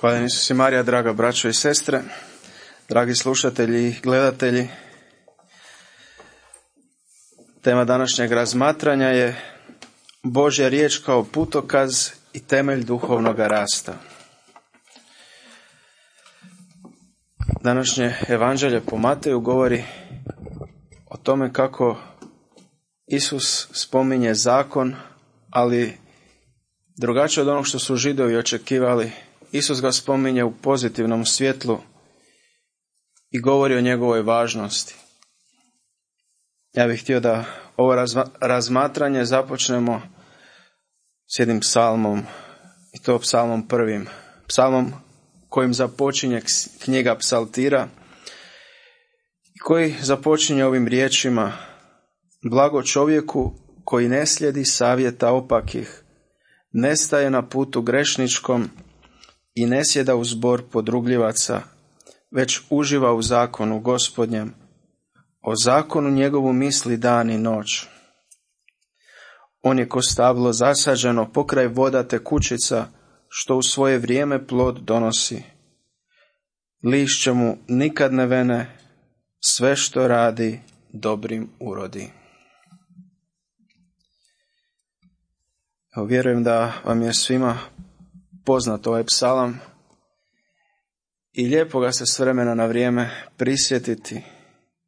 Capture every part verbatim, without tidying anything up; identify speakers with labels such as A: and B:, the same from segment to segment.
A: Hvala Isus i Marija, draga braćo i sestre, dragi slušatelji i gledatelji. Tema današnjeg razmatranja je Božja riječ kao putokaz i temelj duhovnog rasta. Današnje evanđelje po Mateju govori o tome kako Isus spominje zakon, ali drugačije od onog što su Židovi očekivali. Isus ga spominje u pozitivnom svjetlu i govori o njegovoj važnosti. Ja bih htio da ovo razma- razmatranje započnemo s jednim psalmom, i to psalmom prvim. Psalmom kojim započinje knjiga Psaltira i koji započinje ovim riječima: blago čovjeku koji ne slijedi savjeta opakih, ne staje na putu grešničkom i ne sjeda u zbor podrugljivaca, već uživa u zakonu Gospodnjem. O zakonu njegovu misli dan i noć. On je ko stablo zasađeno pokraj voda tekućica, što u svoje vrijeme plod donosi. Lišće mu nikad ne vene, sve što radi dobrim urodi. Evo, vjerujem da vam je svima poznat ovaj psalam i lijepo ga se s vremena na vrijeme prisjetiti,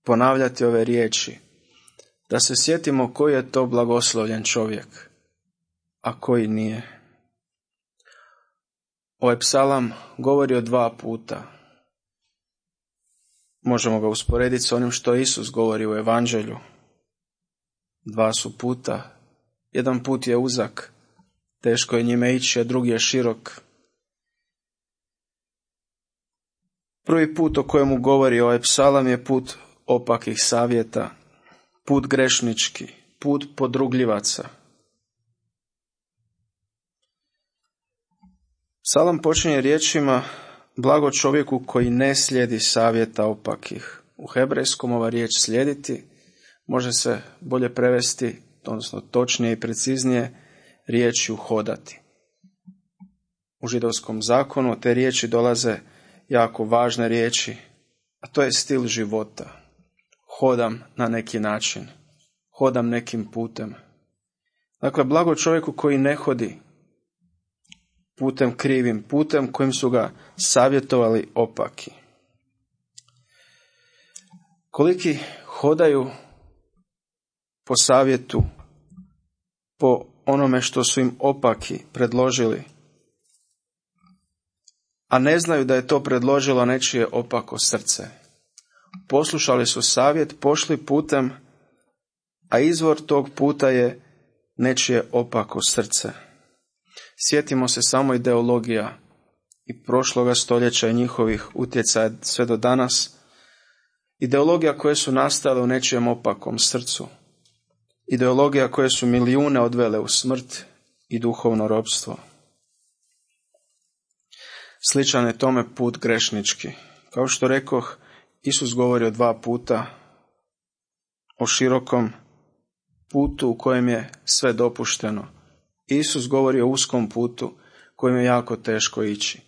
A: ponavljati ove riječi, da se sjetimo koji je to blagoslovljen čovjek, a koji nije. Ovaj psalam govori o dva puta. Možemo ga usporediti s onim što Isus govori u evanđelju. Dva su puta. Jedan put je uzak, teško je njime ići, a drugi je širok. Prvi put o kojemu govori ovaj psalam je put opakih savjeta, put grešnički, put podrugljivaca. Psalam počinje riječima: blago čovjeku koji ne slijedi savjeta opakih. U hebrejskom ova riječ slijediti može se bolje prevesti, odnosno točnije i preciznije, riječju hodati. U židovskom zakonu te riječi dolaze jako važne riječi, a to je stil života. Hodam na neki način, hodam nekim putem. Dakle, blago čovjeku koji ne hodi putem krivim, putem kojim su ga savjetovali opaki. Koliki hodaju po savjetu, po onome što su im opaki predložili, a ne znaju da je to predložilo nečije opako srce. Poslušali su savjet, pošli putem, a izvor tog puta je nečije opako srce. Sjetimo se samo ideologija i prošloga stoljeća i njihovih utjecaja sve do danas. Ideologija koje su nastale u nečijem opakom srcu. Ideologija koje su milijune odvele u smrt i duhovno ropstvo. Sličan je tome put grešnički. Kao što rekoh, Isus govori o dva puta, o širokom putu u kojem je sve dopušteno. Isus govori o uskom putu kojem je jako teško ići.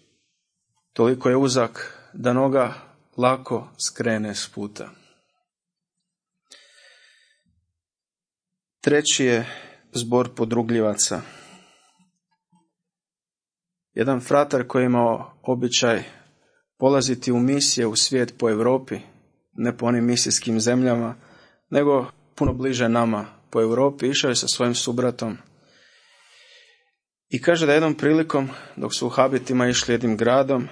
A: Toliko je uzak da noga lako skrene s puta. Treći je zbor podrugljivaca. Jedan fratar koji je imao običaj polaziti u misije u svijet po Europi, ne po onim misijskim zemljama, nego puno bliže nama po Europi, išao je sa svojim subratom. I kaže da jednom prilikom, dok su u habitima išli jednim gradom,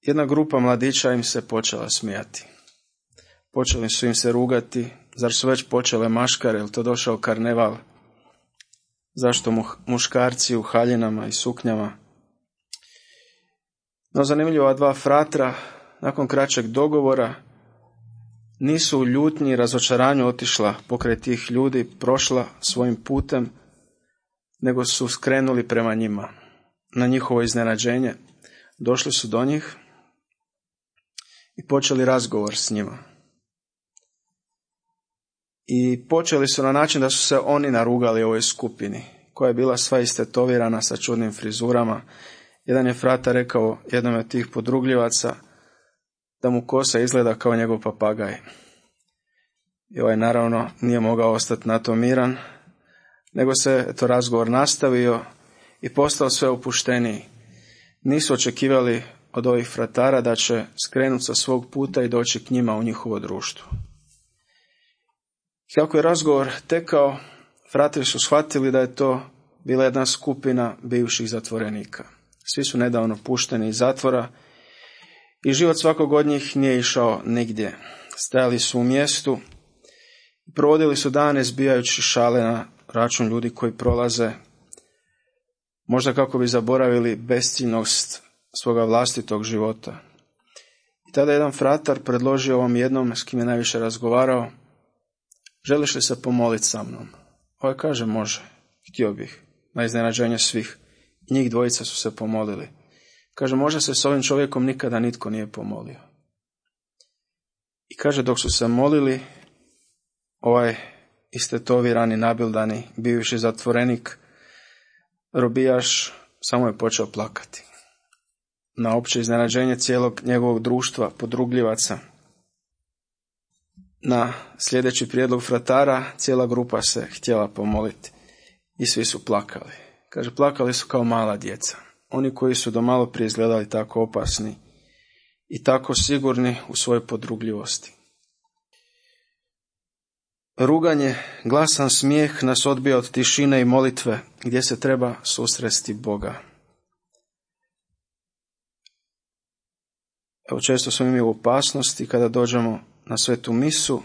A: jedna grupa mladića im se počela smijati. Počeli su im se rugati, zar su već počele maškare, jel to došao karneval? Zašto mu, muškarci u haljinama i suknjama? No zanimljivo, ova dva fratra, nakon kraćeg dogovora, nisu u ljutnji i razočaranju otišla pokraj tih ljudi, prošla svojim putem, nego su skrenuli prema njima. Na njihovo iznenađenje došli su do njih i počeli razgovor s njima. I počeli su na način da su se oni narugali ovoj skupini koja je bila sva istetovirana sa čudnim frizurama. Jedan je frata rekao jednom od tih podrugljivaca da mu kosa izgleda kao njegov papagaj. I ovaj naravno nije mogao ostati na to miran, nego se to razgovor nastavio i postao sve opušteniji. Nisu očekivali od ovih fratara da će skrenuti sa svog puta i doći k njima u njihovo društvo. Kako je razgovor tekao, fratelji su shvatili da je to bila jedna skupina bivših zatvorenika. Svi su nedavno pušteni iz zatvora i život svakog od njih nije išao nigdje. Stajali su u mjestu i provodili su dane zbijajući šale na račun ljudi koji prolaze, možda kako bi zaboravili besciljnost svoga vlastitog života. I tada jedan fratar predložio ovom jednom s kim je najviše razgovarao: želiš li se pomoliti sa mnom? Ovaj kaže: može, htio bih. Na iznenađenje svih, njih dvojica su se pomolili. Kaže: možda se s ovim čovjekom nikada nitko nije pomolio. I kaže, dok su se molili, ovaj istetovirani, nabildani, bivši zatvorenik, robijaš, samo je počeo plakati. Na opće iznenađenje cijelog njegovog društva podrugljivaca, na sljedeći prijedlog fratara, cijela grupa se htjela pomoliti i svi su plakali. Kaže, plakali su kao mala djeca. Oni koji su do malo prije izgledali tako opasni i tako sigurni u svojoj podrugljivosti. Ruganje, glasan smijeh nas odbija od tišine i molitve gdje se treba susresti Boga. Evo, često smo mi u opasnosti kada dođemo na svetu misu,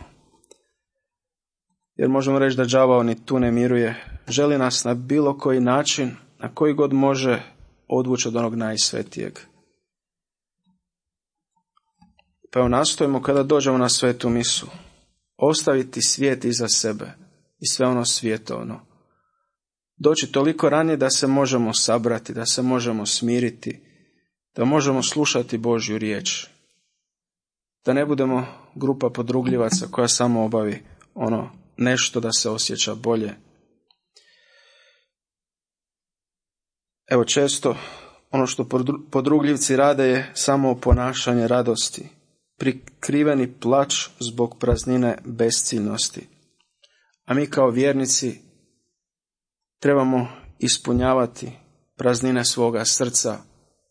A: jer možemo reći da đavao ni tu ne miruje. Želi nas na bilo koji način, na koji god može, odvući od onog najsvetijeg. Pa evo, nastojimo kada dođemo na svetu misu ostaviti svijet iza sebe i sve ono svjetovno. Doći toliko ranije da se možemo sabrati, da se možemo smiriti, da možemo slušati Božju riječ. Da ne budemo grupa podrugljivaca koja samo obavi ono nešto da se osjeća bolje. Evo, često ono što podrugljivci rade je samo ponašanje radosti, prikriveni plač zbog praznine besciljnosti. A mi kao vjernici trebamo ispunjavati praznine svoga srca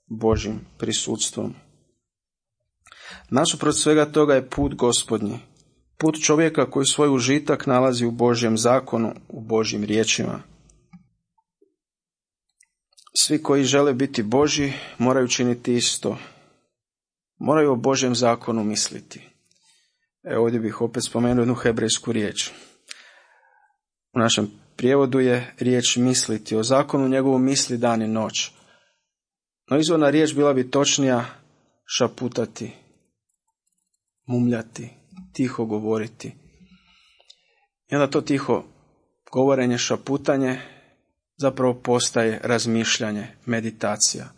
A: Božjim prisutstvom. Nasuprot svega toga je put Gospodnji, put čovjeka koji svoj užitak nalazi u Božjem zakonu, u Božjim riječima. Svi koji žele biti Božji moraju činiti isto. Moraju o Božjem zakonu misliti. Evo, ovdje bih opet spomenuo jednu hebrejsku riječ. U našem prijevodu je riječ misliti. O zakonu njegovu misli dan i noć. No izvorna riječ bila bi točnija šaputati, mumljati, tiho govoriti. I onda to tiho govorenje, šaputanje zapravo postaje razmišljanje, meditacija.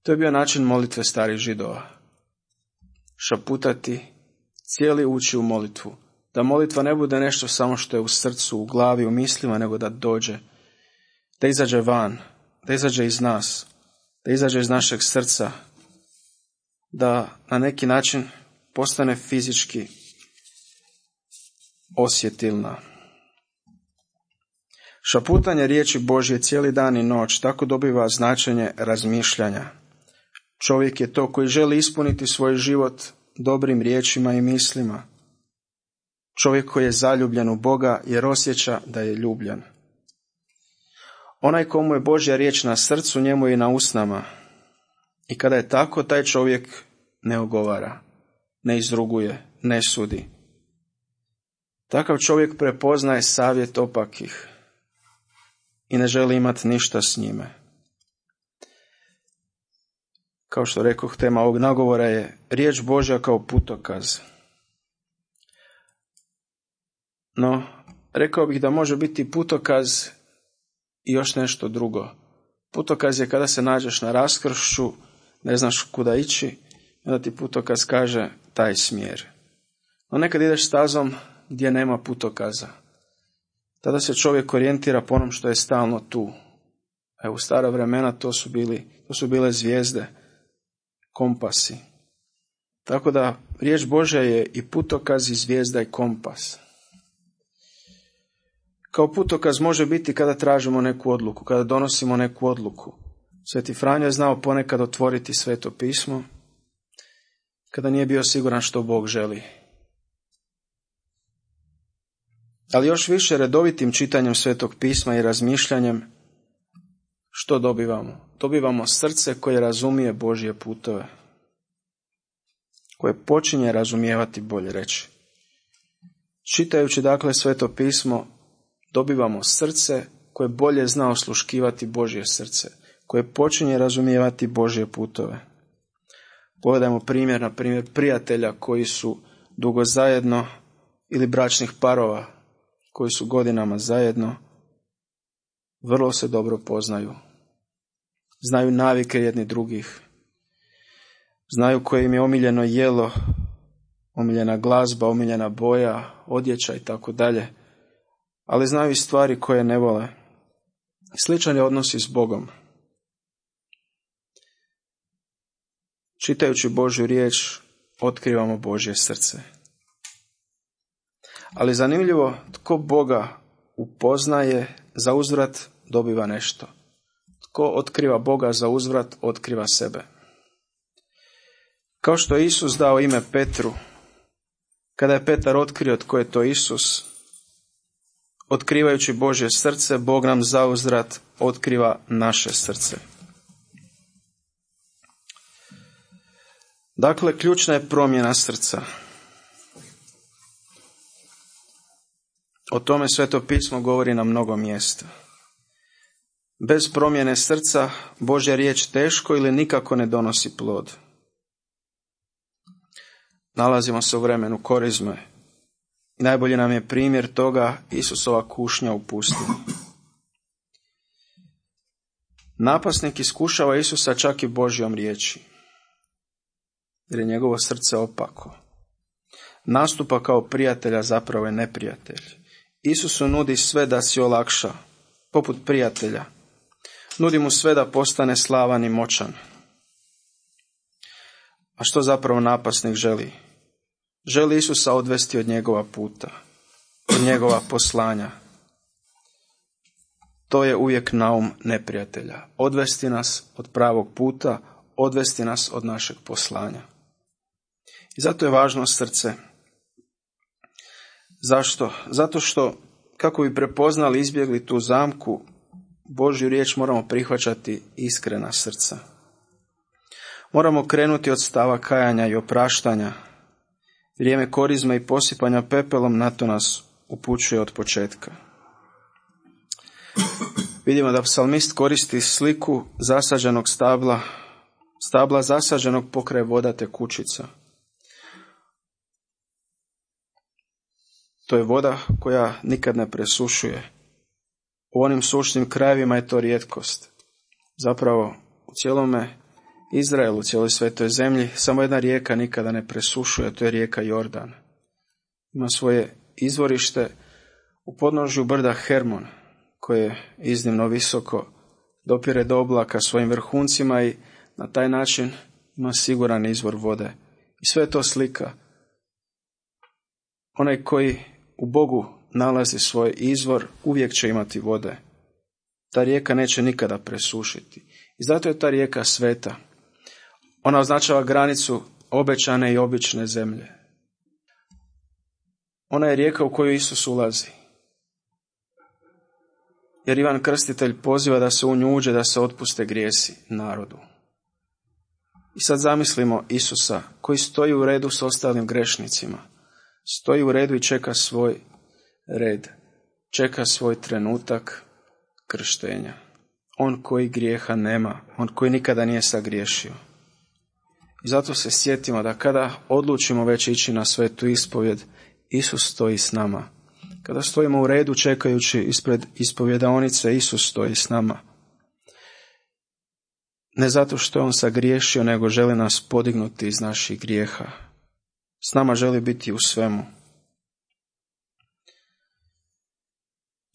A: To je bio način molitve starih Židova. Šaputati, cijeli ući u molitvu. Da molitva ne bude nešto samo što je u srcu, u glavi, u mislima, nego da dođe, da izađe van, da izađe iz nas, da izađe iz našeg srca, da na neki način postane fizički osjetilna. Šaputanje riječi Božje cijeli dan i noć tako dobiva značenje razmišljanja. Čovjek je to koji želi ispuniti svoj život dobrim riječima i mislima. Čovjek koji je zaljubljen u Boga jer osjeća da je ljubljen. Onaj komu je Božja riječ na srcu, njemu je i na usnama. I kada je tako, taj čovjek ne ogovara, ne izruguje, ne sudi. Takav čovjek prepoznaje savjet opakih i ne želi imati ništa s njime. Kao što rekoh, tema ovog nagovora je riječ Božja kao putokaz. No, rekao bih da može biti putokaz i još nešto drugo. Putokaz je kada se nađeš na raskršću, ne znaš kuda ići, i onda ti putokaz kaže taj smjer. No nekad ideš stazom gdje nema putokaza. Tada se čovjek orijentira po onom što je stalno tu. A u stara vremena to su, bili, to su bile zvijezde, kompasi. Tako da riječ Božja je i putokaz, i zvijezda, i kompas. Kao putokaz može biti kada tražimo neku odluku, kada donosimo neku odluku. Sveti Franjo je znao ponekad otvoriti Sveto pismo, kada nije bio siguran što Bog želi. Ali još više redovitim čitanjem Svetog pisma i razmišljanjem, što dobivamo? Dobivamo srce koje razumije Božje putove, koje počinje razumijevati, bolje reći. Čitajući dakle Sveto pismo, dobivamo srce koje bolje zna osluškivati Božje srce, koje počinje razumijevati Božje putove. Pogledajmo primjer, na primjer, prijatelja koji su dugo zajedno, ili bračnih parova koji su godinama zajedno, vrlo se dobro poznaju. Znaju navike jedni drugih. Znaju koje im je omiljeno jelo, omiljena glazba, omiljena boja, odjeća i tako dalje. Ali znaju i stvari koje ne vole. Sličan je odnos i s Bogom. Čitajući Božju riječ, otkrivamo Božje srce. Ali zanimljivo, tko Boga upoznaje, za uzvrat dobiva nešto. Tko otkriva Boga, za uzvrat otkriva sebe. Kao što je Isus dao ime Petru, kada je Petar otkrio tko je to Isus, otkrivajući Božje srce, Bog nam za uzvrat otkriva naše srce. Dakle, ključna je promjena srca. O tome Sveto pismo govori na mnogo mjesta. Bez promjene srca Božja riječ teško ili nikako ne donosi plod. Nalazimo se u vremenu korizme. I najbolji nam je primjer toga Isusova kušnja u pustinji. Napasnik iskušava Isusa čak i Božjom riječi, jer je njegovo srce opako. Nastupa kao prijatelja, zapravo je neprijatelj. Isusu nudi sve da si olakša, poput prijatelja. Nudi mu sve da postane slavan i moćan. A što zapravo napasnik želi? Želi Isusa odvesti od njegova puta, od njegova poslanja. To je uvijek naum neprijatelja. Odvesti nas od pravog puta, odvesti nas od našeg poslanja. I zato je važno srce. Zašto? Zato što, kako bi prepoznali i izbjegli tu zamku, Božju riječ moramo prihvaćati iskrena srca. Moramo krenuti od stava kajanja i opraštanja. Vrijeme korizme i posipanja pepelom na to nas upućuje od početka. Vidimo da psalmist koristi sliku zasađenog stabla, stabla zasađenog pokraj vodate kućica. To je voda koja nikad ne presušuje. U onim sušnim krajevima je to rijetkost. Zapravo, u cijelome Izraelu, u cijeloj svetoj zemlji, samo jedna rijeka nikada ne presušuje, to je rijeka Jordan. Ima svoje izvorište u podnožju brda Hermon, koje je iznimno visoko, dopire do oblaka svojim vrhuncima i na taj način ima siguran izvor vode. I sve je to slika. Onaj koji u Bogu nalazi svoj izvor, uvijek će imati vode. Ta rijeka neće nikada presušiti. I zato je ta rijeka sveta. Ona označava granicu obećane i obične zemlje. Ona je rijeka u koju Isus ulazi. Jer Ivan Krstitelj poziva da se u nju uđe, da se otpuste grijesi narodu. I sad zamislimo Isusa koji stoji u redu s ostalim grešnicima. Stoji u redu i čeka svoj red. Čeka svoj trenutak krštenja. On koji grijeha nema. On koji nikada nije sagriješio. I zato se sjetimo da kada odlučimo već ići na svetu ispovjed, Isus stoji s nama. Kada stojimo u redu čekajući ispred ispovjedaonice, Isus stoji s nama. Ne zato što je on sagriješio, nego želi nas podignuti iz naših grijeha. S nama želi biti u svemu.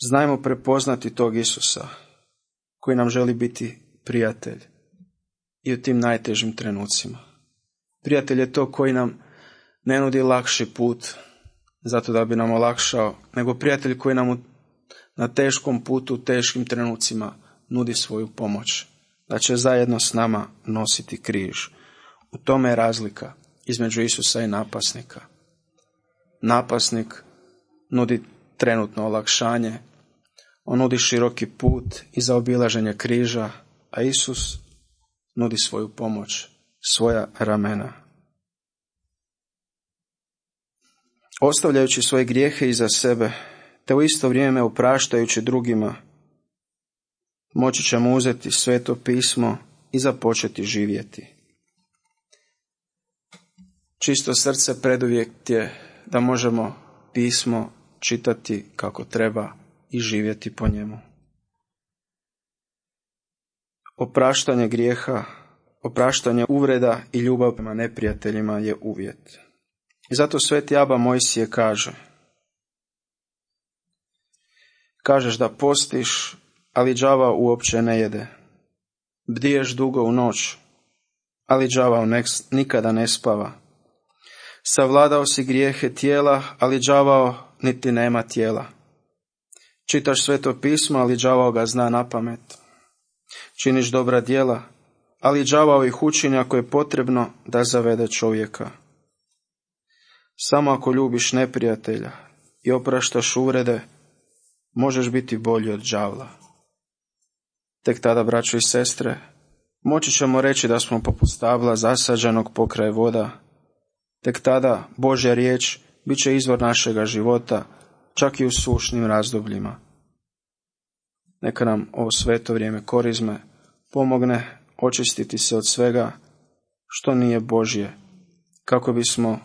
A: Znajmo prepoznati tog Isusa koji nam želi biti prijatelj i u tim najtežim trenucima. Prijatelj je to koji nam ne nudi lakši put zato da bi nam olakšao, nego prijatelj koji nam na teškom putu, u teškim trenucima nudi svoju pomoć, da će zajedno s nama nositi križ. U tome je razlika između Isusa i napasnika. Napasnik nudi trenutno olakšanje, on nudi široki put i zaobilaženje križa, a Isus nudi svoju pomoć, svoja ramena. Ostavljajući svoje grijehe iza sebe, te u isto vrijeme opraštajući drugima, moći ćemo uzeti Sveto pismo i započeti živjeti. Čisto srce preduvjet je da možemo pismo čitati kako treba i živjeti po njemu. Opraštanje grijeha, opraštanje uvreda i ljubav prema neprijateljima je uvjet. I zato sveti Aba Mojsije kaže: kažeš da postiš, ali đava uopće ne jede. Bdiješ dugo u noć, ali đavao nikada ne spava. Savladao si grijehe tijela, ali đavao niti nema tijela. Čitaš Sveto pismo, ali đavao ga zna napamet. Činiš dobra djela, ali đavao ih učini ako je potrebno da zavede čovjeka. Samo ako ljubiš neprijatelja i opraštaš uvrede, možeš biti bolji od đavla. Tek tada, braćo i sestre, moći ćemo reći da smo poput stabla zasađenog pokraj voda. Tek tada Božja riječ bit će izvor našega života, čak i u sušnim razdobljima. Neka nam ovo sveto vrijeme korizme pomogne očistiti se od svega što nije Božje, kako bismo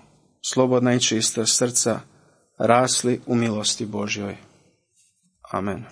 A: slobodna i čista srca rasli u milosti Božjoj. Amen.